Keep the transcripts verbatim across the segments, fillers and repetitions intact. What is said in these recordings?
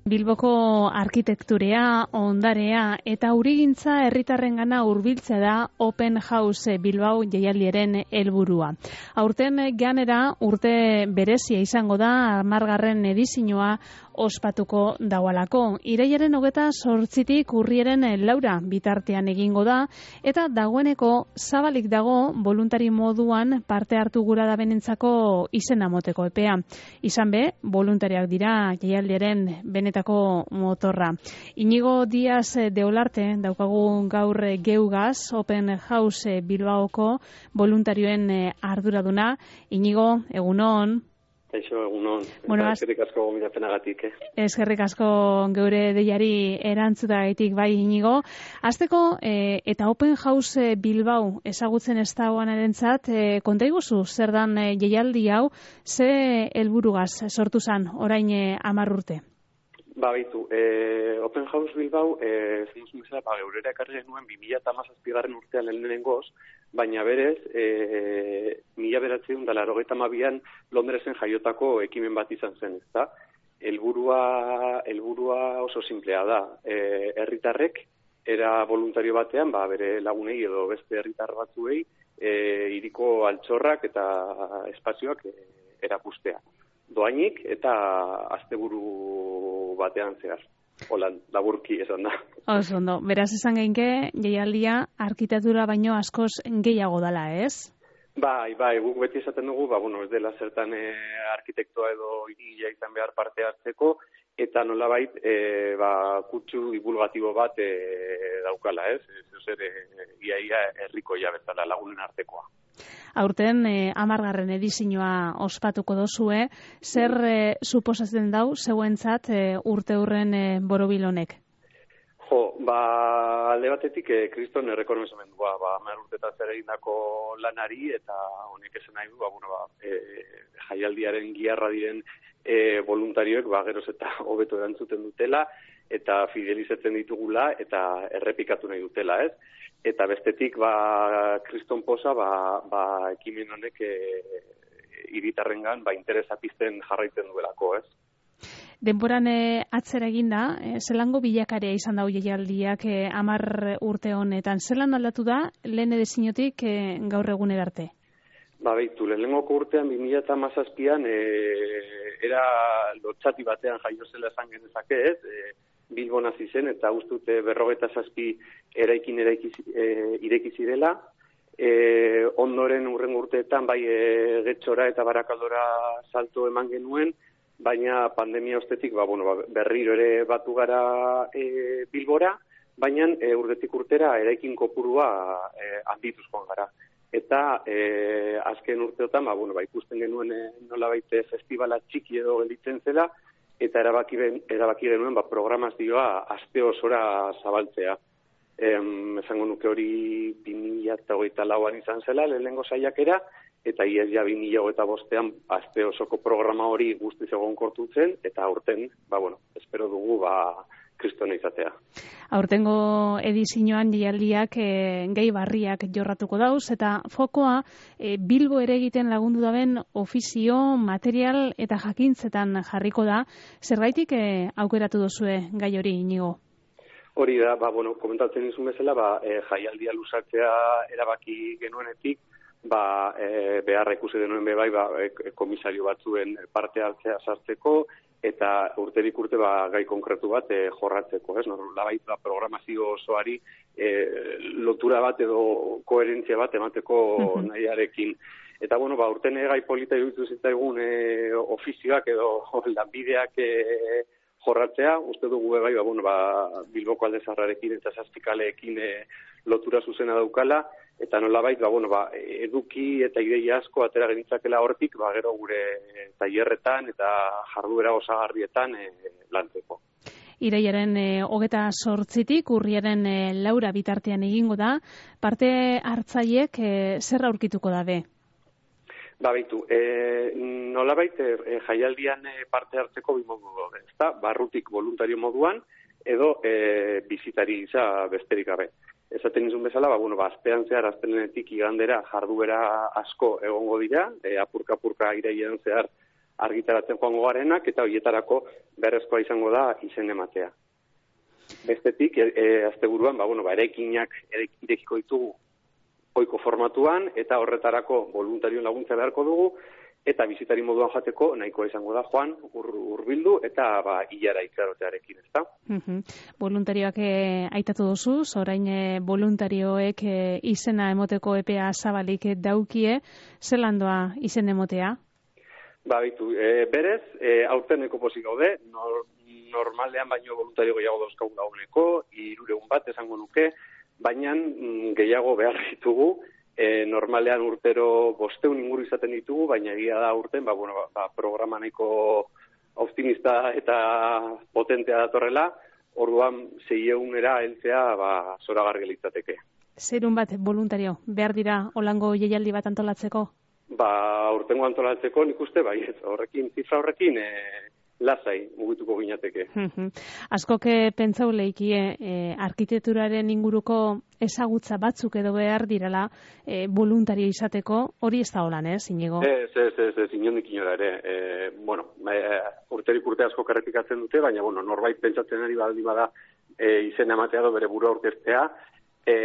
Bilboko arkitekturea, ondarea eta urigintza herritarrengana hurbiltzea da Open House Bilbao jaialdiaren helburua. Aurten ganera urte berezia izango da hamargarren edizioa ospatuko daualako. Irailaren hogeta zortzitik urriaren laura bitartean egingo da eta dagoeneko zabalik dago voluntari moduan parte hartu gura da benentzako izena moteko epea. Izan be, voluntariak dira jaialdiaren benetako motorra. Iñigo Díaz de Olarte daukagu gaur geugaz Open House Bilbaoko voluntarioen arduraduna. Iñigo, egunon. Eixo, egunon. Bueno, eskerrik asko gomidapenagatik, eh? Eskerrik asko geure deiari erantzutagatik bai, Iñigo. Hasteko, eh, eta Open House Bilbao ezagutzen ez dagoenarentzat, eh, konta iguzu zer dan eh, jaialdi hau, ze helburugaz sortu zan orain eh, hamar urte? Ba, baitu, eh, Open House Bilbao, eh, zenuzun bezala, ba, geurera ekarri genuen bi mila hamazazpigarren urtean lehenengoz, baina berez, e, mila bederatziehun eta laurogeita hamabian Londresen jaiotako ekimen bat izan zen, ezta? Helburua, helburua oso simplea da. E, herritarrek era voluntario batean, ba, bere lagunei edo beste herritar batzuei, e, hiriko altxorrak eta espazioak e, erakustea. Doainik eta asteburu batean zehar. Holan, laburki esan da. Oso ondo, beraz esan geinke, jaialdia arkitektura baino askoz gehiago dala, ez? Bai, bai, guk beti esaten dugu, ba, bueno, ez dela zertan e, arkitektoa edo hirigilea izan behar parte hartzeko, eta nolabait, e, ba, kutsu divulgatibo bat e, daukala, ez? Ez zer, e, iaia herriko jabezala lagunen artekoa. Aurten, eh, hamargarren edizioa ospatuko dozue, zer eh, suposatzen dau zeuentzat eh, urte hurren eh, borobil honek? Jo, ba, alde batetik, eh, kriston errekonozimendua, ba, hamar urtetan zer egindako lanari, eta honek esan nahi du, ba, bueno, ba, e, jaialdiaren giarra diren e, voluntarioek, ba, geroz eta hobeto erantzuten dutela, eta fidelizatzen ditugula, eta errepikatu nahi dutela, ez? Eta bestetik, ba, kriston posa, ba, ba, ekimen honek e, hiritarrengan ba, interesa pizten jarraitzen duelako, ez? Denboran e, atzera eginda, e, zelango bilakarea izan dau jaialdiak e, hamar urte honetan. Zelan aldatu da, lehen ediziotik e, gaur eguner arte? Ba, behitu, lehenengoko urtean, bi mila hamazazpian, e, era lotxati batean jaio zela esan genezake, ez? E, Bilbon hasi zen, eta ustute berrogeta zazpi eraikin eraiki, e, ireki zirela. E, ondoren urren urteetan, bai e, Getxora eta Barakaldora salto eman genuen, baina pandemia ostetik, ba, bueno, ba, berriro ere batu gara e, Bilbora, baina e, urtetik urtera eraikin kopurua e, handituzkoan gara. Eta e, azken urteotan, ba, bueno, ba, ikusten genuen e, nolabait festivala txiki edo gelditzen zela, eta erabaki, ben, erabaki genuen ba, programazioa aste osora zabaltzea. Em, esango nuke hori bi mila hogeita lauan izan zela, lehenengo saiakera, eta iaz ja bi mila hogeita bostean aste osoko programa hori guztiz egonkortu zen, eta aurten, ba, bueno, espero dugu, ba, kristona izatea. Aurtengo edizioan jaialdiak e, gehi barriak jorratuko dauz, eta fokoa e, Bilbo ere egiten lagundu daben ofizio, material eta jakintzetan jarriko da. Zergaitik e, aukeratu duzue gai hori, Iñigo? Hori da, ba, bueno, komentatzen izun bezala, ba, e, jaialdia luzatzea erabaki genuenetik, ba, e, beharra ikusi denuen bebai, ba, e, komisario batzuen parte hartzea sartzeko, eta urterik urte ba, gai konkretu bat e, jorratzeko, ez? Nolabait ba, programazio osoari e, lotura bat edo koherentzia bat emateko uh-huh. nahiarekin. Eta bueno, ba, urten gai polita iruditu zitzaigun e, ofizioak edo lanbideak e, jorratzea, uste dugu bai, ba, bueno, ba, Bilboko Alde Zaharrarekin eta Zazpikaleekin e, lotura zuzena daukala, eta nolabait, ba, bueno, ba, eduki eta ideia asko atera genitzakela hortik, ba, gero gure tailerretan eta jarduera osagarrietan e, lantzeko. Irailaren e, hogeta zortzitik, urriaren e, laura bitartean egingo da, parte hartzaiek e, zer aurkituko da be? Ba, baitu, e, nolabait e, jaialdian e, parte hartzeko bi modu daude, ezta? Barrutik voluntario moduan, edo e, bizitari gisa besterik gabe. Esaten izun bezala, ba, bueno, ba, aztean zehar, aztenenetik igandera jarduera asko egongo dira, e, apurka-apurka irailean zehar argitaratzen joango garenak, eta horietarako beharrezkoa izango da izen ematea. Bestetik, e, e, asteburuan, ba, bueno, ba, eraikinak irekiko ditugu ohiko formatuan, eta horretarako voluntarioen laguntza beharko dugu, eta bizitari moduan jateko nahikoa izango da joan, hurbildu ur eta ba, hilara itxarotearekin, ez da? Uh-huh. Voluntarioak e, aitatu duzu, orain e, voluntarioek e, izena emoteko epea zabalik daukie, zelandoa izen emotea? Ba, bitu, e, berez, e, aurteneko pozik gaude, nor, normalean baino voluntario gehiago dauzkagun dagoeneko, hirureun bat esango nuke, baina gehiago behar ditugu, E, normalean urtero bosteun inguru izaten ditugu, baina egia da urten, ba, bueno, ba, ba, programa nahiko optimista eta potentea datorrela, orduan zeieunera heltzea ba, zoragarri litzateke. Zerun bat voluntario, behar dira olango jaialdi bat antolatzeko? Ba, urtengo antolatzeko nik uste, bai, ez, horrekin, zifra horrekin, e, lasai mugituko ginateke. Askok pentsau leikie eh, arkitekturaren inguruko ezagutza batzuk edo behar direla eh, voluntario izateko, hori ez da holan, ez, Inigo? Ez, ez, ez, ez, inondik inora ere. E, bueno, e, urterik urte asko errepikatzen dute, baina, bueno, norbait pentsatzen ari baldin bada e, izena ematea do bere burua aurkeztea, e,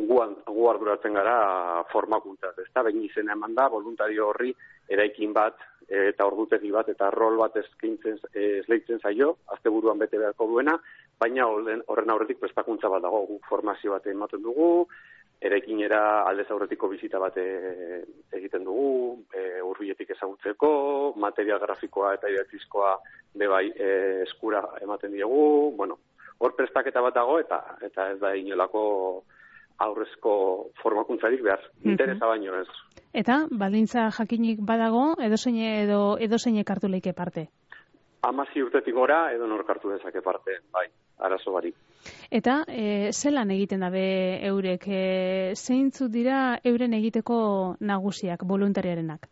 guan, gu arduratzen gara formakuntzaz, ez da, behin izena eman da, voluntario horri eraikin bat, eta ordutegi bat eta rol bat eskaintzen esleitzen zaio, asteburuan bete beharko duena, baina horren aurretik prestakuntza bat dago, guk formazio bat ematen dugu, eraikinera aldez aurretiko bizita bat egiten dugu, e, hurbiletik ezagutzeko, material grafikoa eta idatzizkoa bebai e, eskura ematen diegu, bueno, hor prestaketa bat dago eta eta ez da inolako aurrezko formakuntzarik behar, interesa baino ez. Eta, baldintza jakinik badago, edozein edo edozein hartu leike parte? Hamazi urtetik gora, edo nork hartu dezake parte, bai, arazo barik. Eta, e, zelan egiten dabe eurek, e, zeintzuk dira euren egiteko nagusiak, voluntariarenak?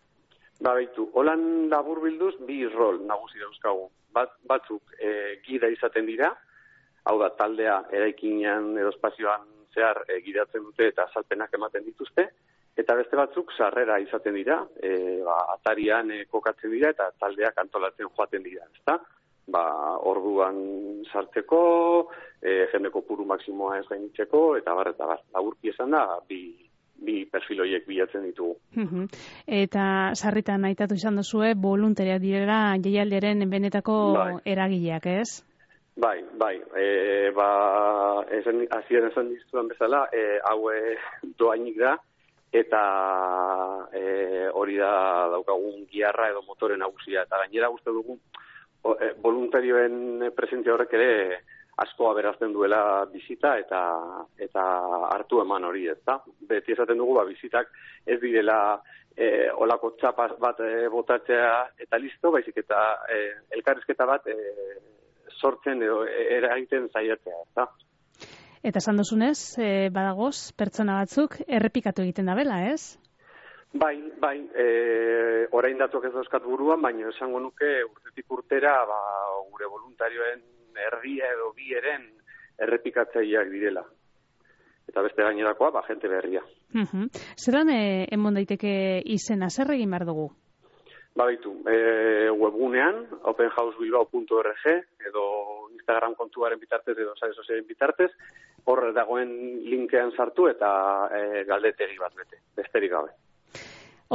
Ba, baitu, holan labur bilduz, bi rol nagusi dauzkagu. Bat, batzuk e, gida izaten dira, hau da, taldea eraikinean edo espazioan zehar e, gidatzen dute eta azalpenak ematen dituzte, eta beste batzuk sarrera izaten dira, e, ba, atarian e, kokatzen dira eta taldeak antolatzen joaten dira, ezta? Ba, orduan sartzeko, e, jende kopuru maksimoa ez gainitzeko, eta bar, eta bar, laburki esan da, bi, bi perfil horiek bilatzen ditugu. Uh-huh. Eta sarritan aitatu izan duzue, voluntariak direla jaialdiaren benetako bai. Eragileak, ez? Bai, bai, e, ba, esan, azien esan dizudan bezala, e, hau e, doainik da, eta e, hori da daukagun giarra edo motoren nagusia, eta gainera uste dugu o, e, voluntarioen presentzia horrek ere asko aberazten duela bizita eta eta hartu eman hori, ezta? Beti esaten dugu, ba, bizitak ez direla e, olako txapa bat e, botatzea eta listo, baizik eta e, elkarrizketa bat e, sortzen edo eragiten zaiatzea, ezta? Eta esan duzunez, e, badagoz, pertsona batzuk errepikatu egiten dabela, ez? Bai, bai, e, orain datuak ez dauzkat buruan, baina esango nuke urtetik urtera ba, gure voluntarioen erdia edo bi eren errepikatzaileak direla. Eta beste gainerakoa, ba, jente berria. Uh-huh. Zeran e, emon daiteke izena, zer egin behar dugu? Ba, bitu, e, webgunean, open house bilbao puntu org, edo Instagram kontuaren bitartez, edo sare sozialen bitartez, hor dagoen linkean sartu eta e, galdetegi bat bete, besterik gabe.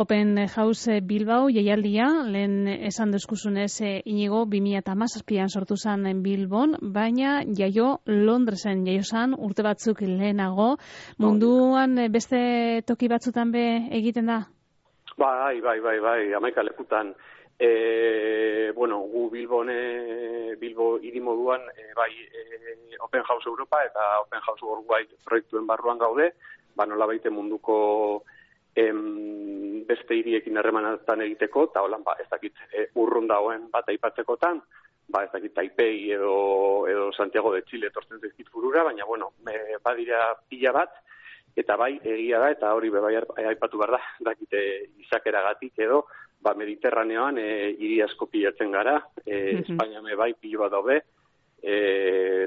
Open House Bilbao jaialdia, lehen esan duzkuzunez Inigo, bi mila hamazazpian sortu zen Bilbon, baina jaio Londresen jaio zen urte batzuk lehenago. Munduan beste toki batzutan be egiten da? Bai, bai, bai, bai, hamaika lekutan. E, bueno, gu Bilbone, Bilbo hiri moduan, e, bai, e, Open House Europa eta Open House Worldwide proiektuen barruan gaude, ba nola baite munduko em, beste hiriekin harremanatan egiteko, eta holan, ba, ez dakit, e, urrun dagoen bat aipatzekotan, ba, ez dakit, Taipei edo, edo Santiago de Chile etortzen zaizkit burura, baina, bueno, e, badira pila bat, eta bai, egia da, eta hori bebai aipatu behar da, dakite izakeragatik edo, ba, Mediterraneoan e, hiri asko pilatzen gara, e, mm-hmm. Espainia me bai pilo bat daude, e,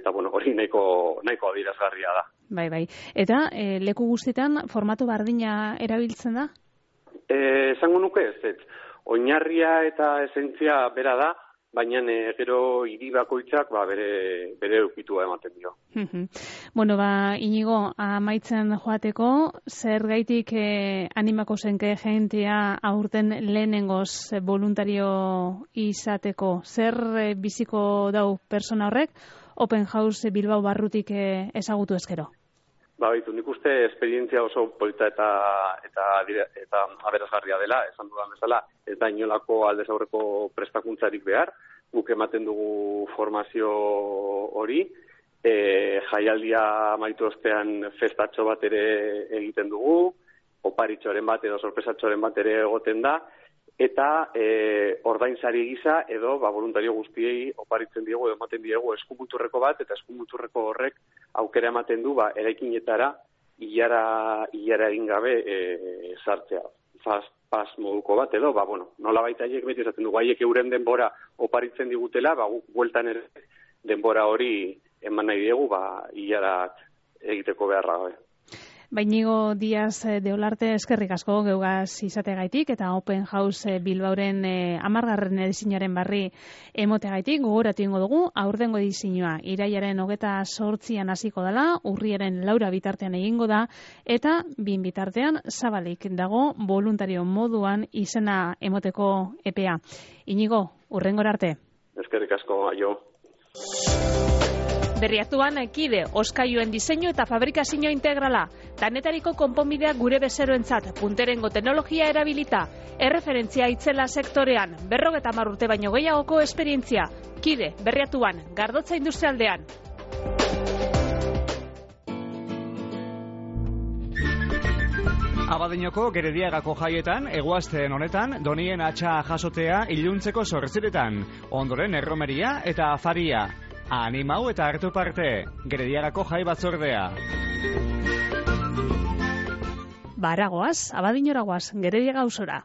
eta bueno, hori nahiko, nahiko adierazgarria da. Bai, bai. Eta e, leku guztietan formatu bardina erabiltzen da? Eh, esango nuke ez, ez. Oinarria eta esentzia bera da, baina e, gero hiri bakoitzak ba, bere, bere eukitua ematen dio. Bueno, ba, Inigo, amaitzen joateko, zer gaitik eh, animako zenke jentia aurten lehenengoz voluntario izateko? Zer eh, biziko dau persona horrek Open House Bilbao barrutik eh, ezagutu ezkero? Ba, baitu, nik uste esperientzia oso polita eta eta eta aberasgarria dela, esan dudan bezala, ez da inolako aldez aurreko prestakuntzarik behar, guk ematen dugu formazio hori, e, jaialdia amaitu ostean festatxo bat ere egiten dugu, oparitxoren bat edo sorpresatxoren bat ere egoten da, eta e, ordainsari gisa edo ba, voluntario guztiei oparitzen diegu edo ematen diegu eskumuturreko bat, eta eskumuturreko horrek aukera ematen du ba, eraikinetara ilara, ilara egin gabe e, sartzea. Fast pass moduko bat edo, ba, bueno, nola baita haiek beti esaten dugu, haiek euren denbora oparitzen digutela, ba, guk bueltan ere denbora hori eman nahi diegu, ba, ilara egiteko beharra gabe. Bainigo Diaz de Olarte, eskerrik asko geugaz izategaitik eta Open House Bilbaoren eh, amargarren edizinaren barri emotegaitik gogoratu ingo dugu, aurtengo edizioa irailaren hogeta sortzian hasiko dela, urriaren laura bitartean egingo da, eta bin bitartean zabalik dago voluntario moduan izena emoteko epea. Inigo, urrengora arte. Eskerrik asko, aio. Berriatuan, Kide, oskailuen diseinu eta fabrikazio integrala. Danetariko konponbideak gure bezeroentzat, punterengo teknologia erabilita. Erreferentzia itzela sektorean, berrogeta hamar urte baino gehiagoko esperientzia. Kide, Berriatuan, Gardotza industrialdean. Abadiñoko Gerediagako jaietan, eguazten honetan, donien atxa jasotea iluntzeko zortziretan. Ondoren erromeria eta afaria. Animau eta hartu parte, Gerediagako jai batzordea. Baragoaz, Abadiñoragoaz, Gerediaga auzora.